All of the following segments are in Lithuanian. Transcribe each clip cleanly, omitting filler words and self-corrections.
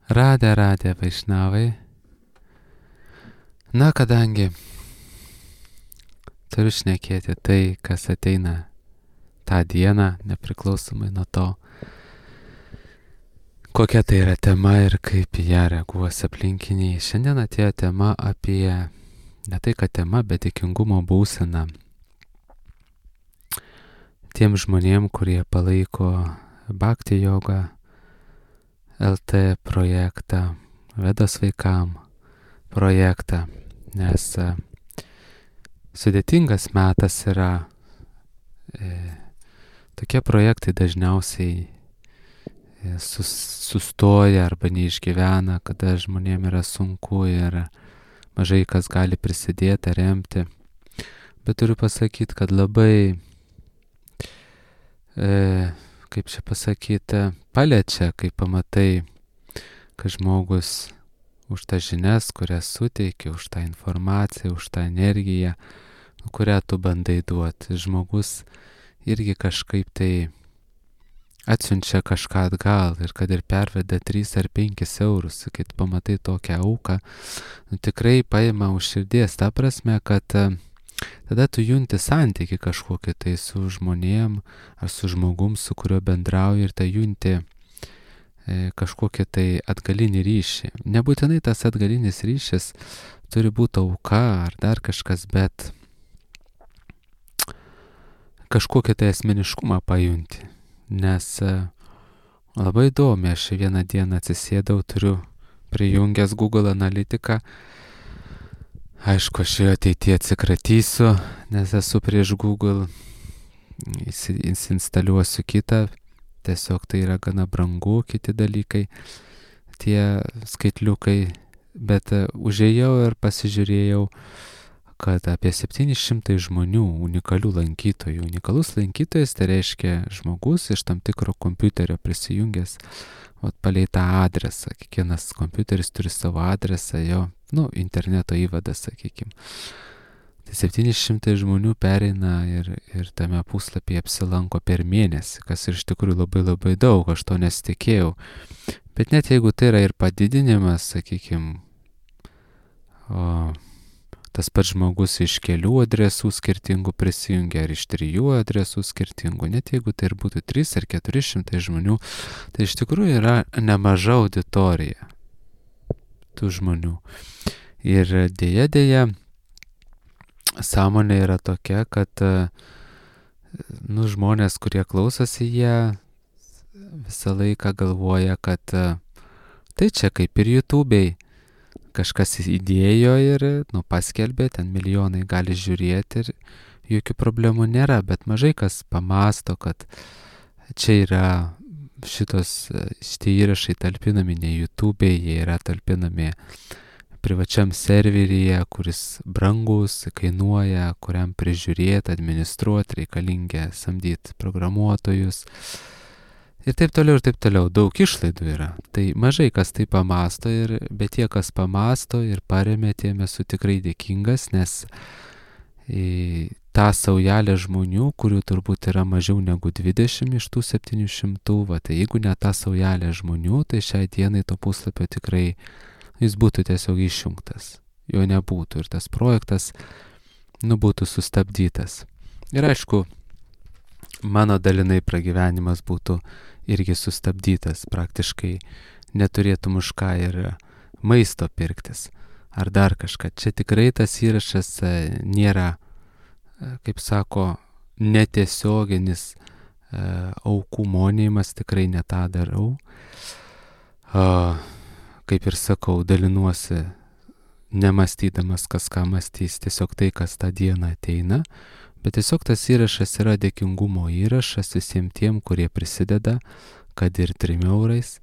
Radė Vaišnavai. Na, kadangi turiu šnekėti tai, kas ateina tą dieną, nepriklausomai nuo to, kokia tai yra tema ir kaip į ją reaguos aplinkiniai. Šiandien atėjo tema apie, ne tai kad tema, bet dėkingumo būseną. Tiem žmonėm, kurie palaiko Bhakti Yoga LT projektą, Vedos vaikam projektą, nes sudėtingas metas yra. Tokie projektai dažniausiai sustoja arba neišgyvena, kada žmonėm yra sunku ir mažai kas gali prisidėti, remti. Bet turiu pasakyti, kad labai, kaip čia pasakyti, paliečia, kai pamatai, kad žmogus už tą žinias, kurias suteikia, už tą informaciją, už tą energiją, kurią tu bandai duoti. Žmogus irgi kažkaip tai atsiunčia kažką atgal ir kad ir perveda 3 ar 5 eurus, kai pamatai tokią auką, tikrai paima už širdies, ta prasme, kad tada tu junti santykį kažkokį tai su žmonėm ar su žmogum, su kuriuo bendrauji, ir tai junti kažkokį tai atgalinį ryšį. Nebūtinai tas atgalinis ryšis turi būti auka ar dar kažkas, bet kažkokį tai asmeniškumą pajunti. Nes labai įdomi, aš vieną dieną atsisėdau, turiu prijungęs Google Analytiką. Aišku, aš jo ateityje atsikratysiu, nes esu prieš Google, įsinstaliuosiu kitą. Tiesiog tai yra gana brangu, kiti dalykai, tie skaitliukai, bet užėjau ir pasižiūrėjau, kad apie 700 žmonių, unikalių lankytojų. Unikalus lankytojas tai reiškia žmogus iš tam tikro kompiuterio prisijungęs, palei tą adresą. Kiekvienas kompiuteris turi savo adresą, jo, interneto įvadas, sakykime. Tai 700 žmonių pereina ir tame puslapyje apsilanko per mėnesį, kas iš tikrųjų labai daug, aš to nesitikėjau. Bet net jeigu tai yra ir padidinimas, sakykime, tas pats žmogus iš kelių adresų skirtingų prisijungia, ar iš 3 adresų skirtingų, net jeigu tai ir būtų 3 ar 400 žmonių, tai iš tikrųjų yra nemaža auditorija tų žmonių. Ir dėja, sąmonė yra tokia, kad žmonės, kurie klausosi, jie visą laiką galvoja, kad tai čia kaip ir YouTube'ai. Kažkas įdėjo ir paskelbė, ten milijonai gali žiūrėti ir jokių problemų nėra, bet mažai kas pamasto, kad čia yra šitie įrašai talpinami ne YouTube'ai, jie yra talpinami privačiam serveryje, kuris brangus, kainuoja, kuriam prižiūrėti, administruoti, reikalingia samdyti programuotojus. Ir taip toliau, daug išlaidų yra. Tai mažai kas tai pamasto, bet tie, kas pamasto ir paremė, tiem esu tikrai dėkingas, nes tą saujelę žmonių, kurių turbūt yra mažiau negu 20 iš tų 700, tai jeigu ne tą saujelę žmonių, tai šiai dienai to puslapio tikrai jis būtų tiesiog išjungtas, jo nebūtų ir tas projektas būtų sustabdytas. Ir aišku, mano dalinai pragyvenimas būtų irgi sustabdytas, praktiškai neturėtum už ką ir maisto pirktis ar dar kažką. Čia tikrai tas įrašas nėra, kaip sako, netiesioginis aukų monėjimas, tikrai ne tą darau. Kaip ir sakau, dalinuosi nemastydamas, kas ką mąstys, tiesiog tai, kas tą dieną ateina, bet tiesiog tas įrašas yra dėkingumo įrašas visiems tiem, kurie prisideda, kad ir 3 eurais,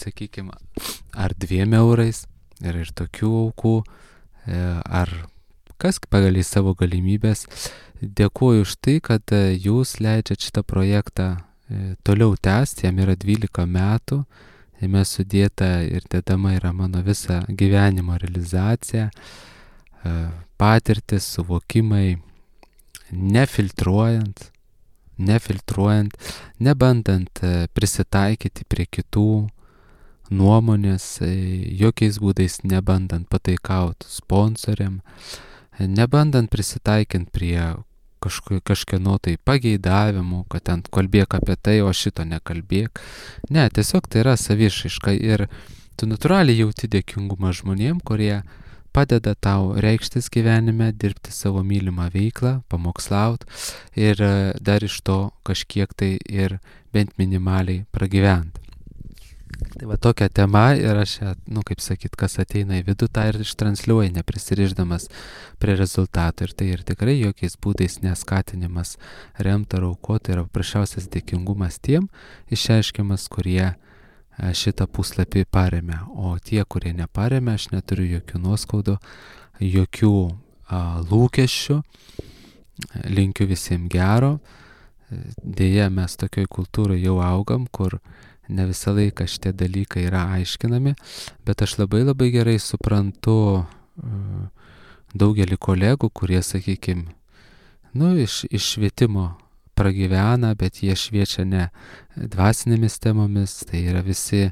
sakykime, ar 2 eurais, ir tokių aukų, ar kas pagal į savo galimybės. Dėkuoju už tai, kad jūs leidžiat šitą projektą toliau tęsti, jam yra 12 metų. Jame sudėta ir dedama yra mano visa gyvenimo realizacija, patirtis, suvokimai, nefiltruojant, nebandant prisitaikyti prie kitų nuomonės, jokiais būdais nebandant pataikauti sponsoriam, nebandant prisitaikinti prie kažkieno tai pageidavimų, kad ten kalbėk apie tai, o šito nekalbėk. Ne, tiesiog tai yra savišaiška ir tu natūraliai jauti dėkingumą žmonėm, kurie padeda tau reikštis gyvenime, dirbti savo mylimą veiklą, pamokslaut ir dar iš to kažkiek tai ir bent minimaliai pragyventi. Tai va tokia tema ir aš, kaip sakyt, kas ateina į vidų, tą ir ištransliuoja, neprisiriždamas prie rezultatų. Ir tai ir tikrai jokiais būdais neskatinimas remti ar aukoti, yra paprasčiausias dėkingumas tiem išreiškiamas, kurie šitą puslapį paremia. O tie, kurie neparemia, aš neturiu jokių nuoskaudų, jokių lūkesčių, linkiu visiems gero. Deja, mes tokioj kultūroje jau augam, kur ne visą laiką šitie dalykai yra aiškinami, bet aš labai labai gerai suprantu daugelį kolegų, kurie, sakykime, iš švietimo pragyvena, bet jie šviečia ne dvasinėmis temomis, tai yra visi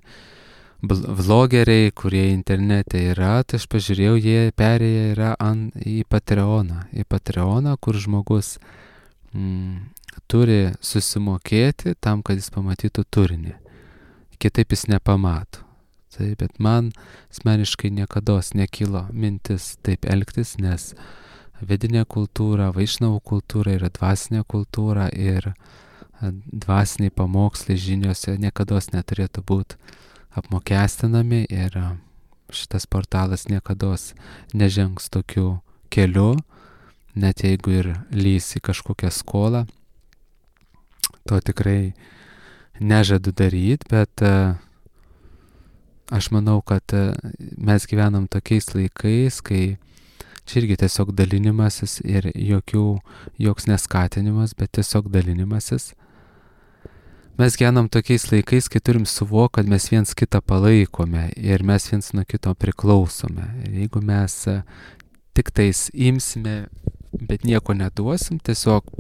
vlogeriai, kurie internete yra, tai aš pažiūrėjau, jie perėję yra į Patreoną, kur žmogus turi susimokėti tam, kad jis pamatytų turinį. Kitaip jis nepamato. Tai, bet man asmeniškai niekados nekilo mintis taip elgtis, nes vedinė kultūra, vaišnavų kultūra yra dvasinė kultūra ir dvasiniai pamokslai žiniose niekados neturėtų būti apmokestinami ir šitas portalas niekados nežengs tokiu keliu, net jeigu ir lys į kažkokią skolą. To tikrai nežadu daryti, bet aš manau, kad mes gyvenam tokiais laikais, kai čia irgi tiesiog dalinimasis ir joks neskatinimas, bet tiesiog dalinimasis. Mes gyvenam tokiais laikais, kai turim suvokti, kad mes viens kitą palaikome ir mes viens nuo kito priklausome. Ir jeigu mes tik tais imsime, bet nieko neduosim, tiesiog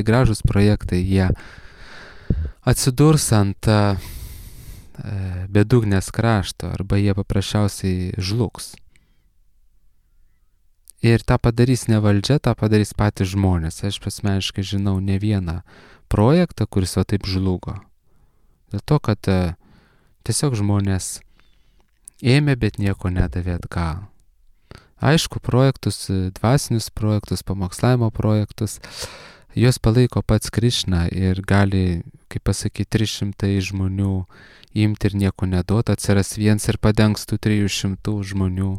gražus projektai, jie atsidurs ant bedugnės krašto arba jie paprasčiausiai žlugs. Ir tą padarys ne valdžia, tą padarys patys žmonės. Aš asmeniškai žinau ne vieną projektą, kuris va taip žlugo. Dėl to, kad tiesiog žmonės ėmė, bet nieko nedavė atgal. Aišku, projektus, dvasinius projektus, pamokslavimo projektus, juos palaiko pats Krišna ir gali, kaip pasakyti, 300 žmonių imti ir nieko neduoti, atsiras viens ir padengs tų 300 žmonių,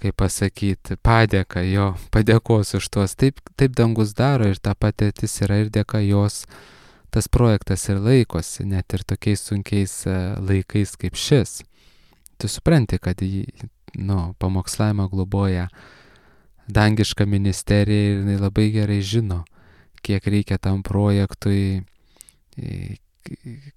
kaip pasakyti, padėka jo, padėkos už tuos. Taip dangus daro ir ta patirtis yra ir dėka jos, tas projektas ir laikosi, net ir tokiais sunkiais laikais kaip šis. Tu supranti, kad pamokslavimą globoja dangiška ministerija ir jinai labai gerai žino, kiek reikia tam projektui,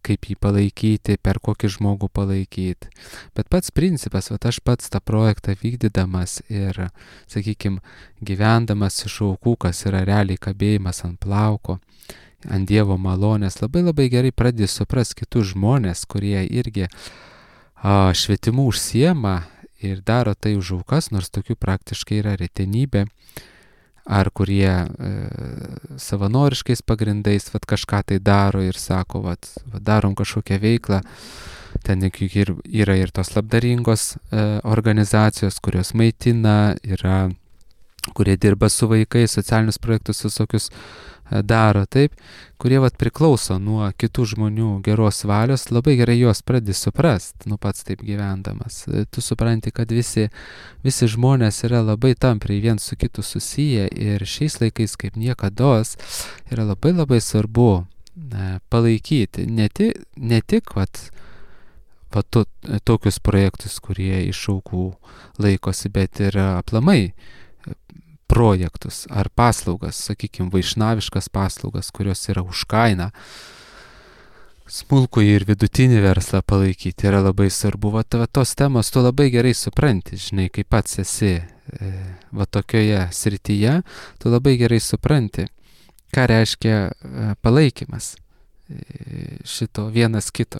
kaip jį palaikyti, per kokį žmogų palaikyti. Bet pats principas, aš pats tą projektą vykdydamas ir, sakykime, gyvendamas iš aukų, kas yra realiai kabėjimas ant plauko, ant Dievo malonės, labai labai gerai pradedi suprasti kitus žmonės, kurie irgi švietimu užsiema ir daro tai už aukas, nors tokių praktiškai yra retenybė, ar kurie savanoriškais pagrindais kažką tai daro ir sako, darom kažkokią veiklą. Ten yra ir tos labdaringos organizacijos, kurios maitina, yra, kurie dirba su vaikais, socialinius projektus visokius daro, taip, kurie priklauso nuo kitų žmonių geros valios, labai gerai juos pradedi suprast, pats taip gyvendamas. Tu supranti, kad visi žmonės yra labai tampriai viens su kitu susiję ir šiais laikais kaip niekados yra labai labai svarbu palaikyti ne tik tokius projektus, kurie iš aukų laikosi, bet ir aplamai projektus ar paslaugas, sakykime, vaišnaviškas paslaugas, kurios yra už kainą. Smulkųjį ir vidutinį verslą palaikyti yra labai svarbu. Tos temos tu labai gerai supranti, žinai, kai pats esi tokioje srityje, tu labai gerai supranti, ką reiškia palaikymas šito vienas kito.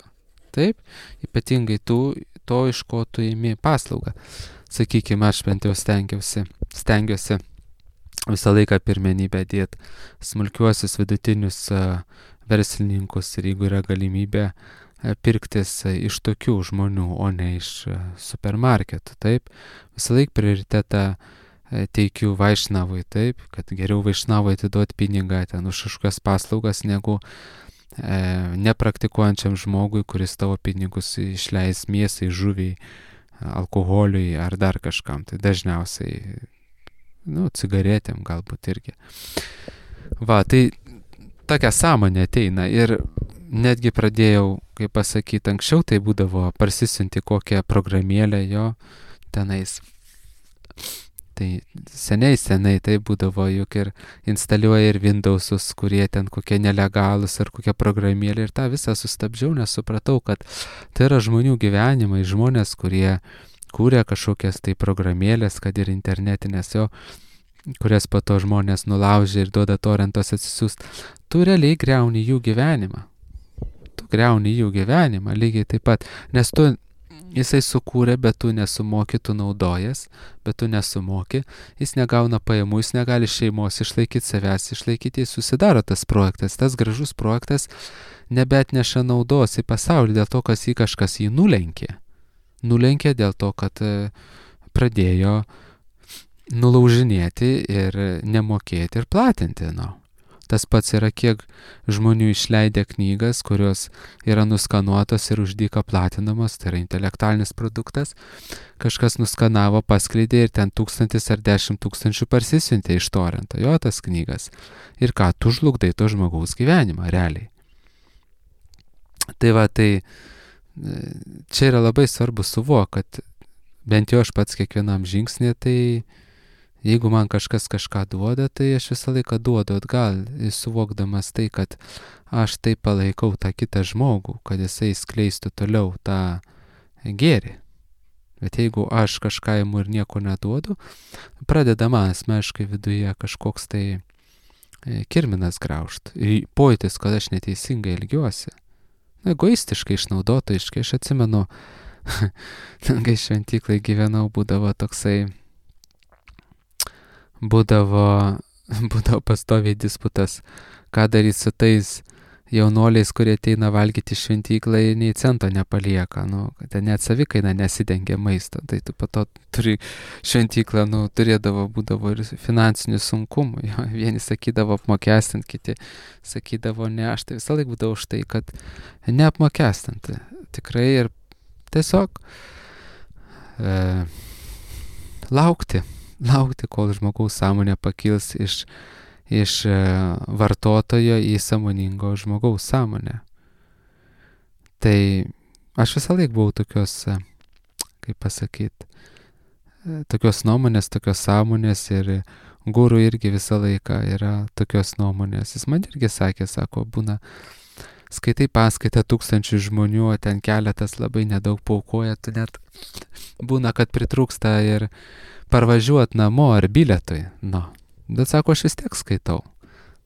taip, ypatingai to, iš ko tu imi paslaugą. Sakykime, aš bent jau stengiuosi visą laiką pirmenybę dėti smulkiuosius vidutinius verslininkus ir jeigu yra galimybė pirktis iš tokių žmonių, o ne iš supermarketų, taip. Visą laiką prioritetą teikiu Vaišnavui, taip, kad geriau Vaišnavui atiduoti pinigą ten už kažkokias paslaugas, negu nepraktikuojančiam žmogui, kuris tavo pinigus išleis mėsai, žuviai, alkoholiui ar dar kažkam. Tai dažniausiai, cigaretėm galbūt irgi. Va, tai tokia sąmonė ateina ir netgi pradėjau, kaip pasakyti, anksčiau tai būdavo parsisiunti kokią programėlę jo tenais. Tai seniai tai būdavo, juk ir instaliuoja ir Windowsus, kurie ten kokie nelegalus ar kokia programėlė ir tą visą sustabdžiau, nes supratau, kad tai yra žmonių gyvenimai, žmonės, kurie kūrė kažkokias tai programėlės, kad ir internetinės jo, kurias po to žmonės nulaužia ir duoda torentos atsisiųst. Tu realiai griauni jų gyvenimą. Lygiai taip pat, nes jisai sukūrė, bet tu nesumoki, tu naudojas, bet tu nesumoki, jis negauna pajamų, jis negali šeimos išlaikyti, savęs išlaikyti, jis susidaro tas projektas, tas gražus projektas nebetneša naudos į pasaulį dėl to, kas jį kažkas jį nulenkė. Nulenkė dėl to, kad pradėjo nulaužinėti ir nemokėti ir platinti. Tas pats yra, kiek žmonių išleidę knygas, kurios yra nuskanuotos ir už dyką platinamos, tai yra intelektualinis produktas. Kažkas nuskanavo, paskleidė ir ten 1000 ar 10 000 parsisiuntė iš torrento, jo tas knygas. Ir ką, tu žlugdai to žmogaus gyvenimą, realiai. Tai va, tai čia yra labai svarbu suvokti, kad bent jau aš pats kiekvienam žingsnį, tai jeigu man kažkas kažką duoda, tai aš visą laiką duodu atgal, suvokdamas tai, kad aš taip palaikau tą kitą žmogų, kad jisai skleistų toliau tą gėrį. Bet jeigu aš kažką imu ir nieko neduodu, pradeda man asmeniškai viduje kažkoks tai kirminas graužt. Pojūtis, kad aš neteisingai elgiuosi. Egoistiškai, išnaudotojiškai. Aš atsimenu, kai šventyklai gyvenau, būdavo pastoviai disputas, ką daryti su tais jaunoliais, kurie ateina valgyti šventyklą ir nei cento nepalieka, ten net savikaina nesidengia maisto, tai tu po to turi šventyklą, būdavo ir finansinių sunkumų, vieni sakydavo apmokestinti, kiti sakydavo ne, aš tai visą laiką būdavau už tai, kad neapmokestinti, tikrai ir tiesiog laukti, kol žmogaus sąmonė pakils iš vartotojo į sąmoningo žmogaus sąmonę. Tai aš visą laiką buvau tokios, kaip pasakyti, tokios nuomonės, tokios sąmonės ir guru irgi visą laiką yra tokios nuomonės. Jis man irgi sakė, sako, būna, skaitai paskaitą 1000 žmonių, o ten keletas labai nedaug paukoja, tu net būna, kad pritrūksta ir parvažiuot namo ar bilietui. Bet sako, aš vis tiek skaitau.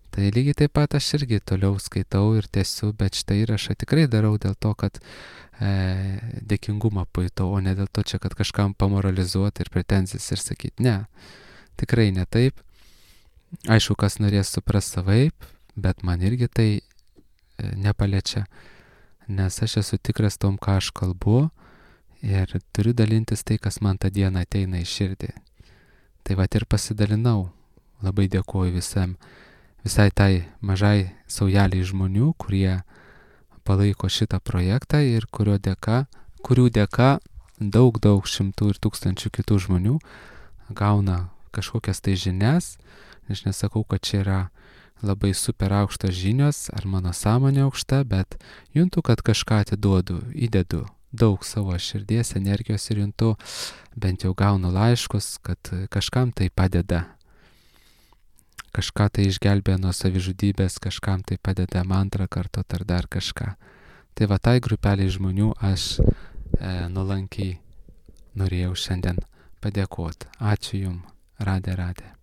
Tai lygiai taip pat aš irgi toliau skaitau ir tęsiu, bet šitą įrašą tikrai darau dėl to, kad dėkingumą pajutau, o ne dėl to čia, kad kažkam pamoralizuoti ir pretenzijas ir sakyti, ne, tikrai ne taip. Aišku, kas norės supras savaip, bet man irgi tai nepaliečia, nes aš esu tikras tom, ką aš kalbu, ir turiu dalintis tai, kas man tą dieną ateina į širdį. Tai vat ir pasidalinau. Labai dėkuoju visai tai mažai saujeliai žmonių, kurie palaiko šitą projektą ir kurių dėka daug šimtų ir tūkstančių kitų žmonių gauna kažkokias tai žinias. Aš nesakau, kad čia yra labai super aukštos žinios ar mano sąmonė aukšta, bet juntu, kad kažką atiduodu, įdedu daug savo širdies, energijos ir juntu, bent jau gaunu laiškus, kad kažkam tai padeda. Kažką tai išgelbė nuo savižudybės, kažkam tai padeda mantrą kartot ar dar kažką. Tai va tai grupeliai žmonių aš nuolankiai norėjau šiandien padėkoti. Ačiū Jums, Radė.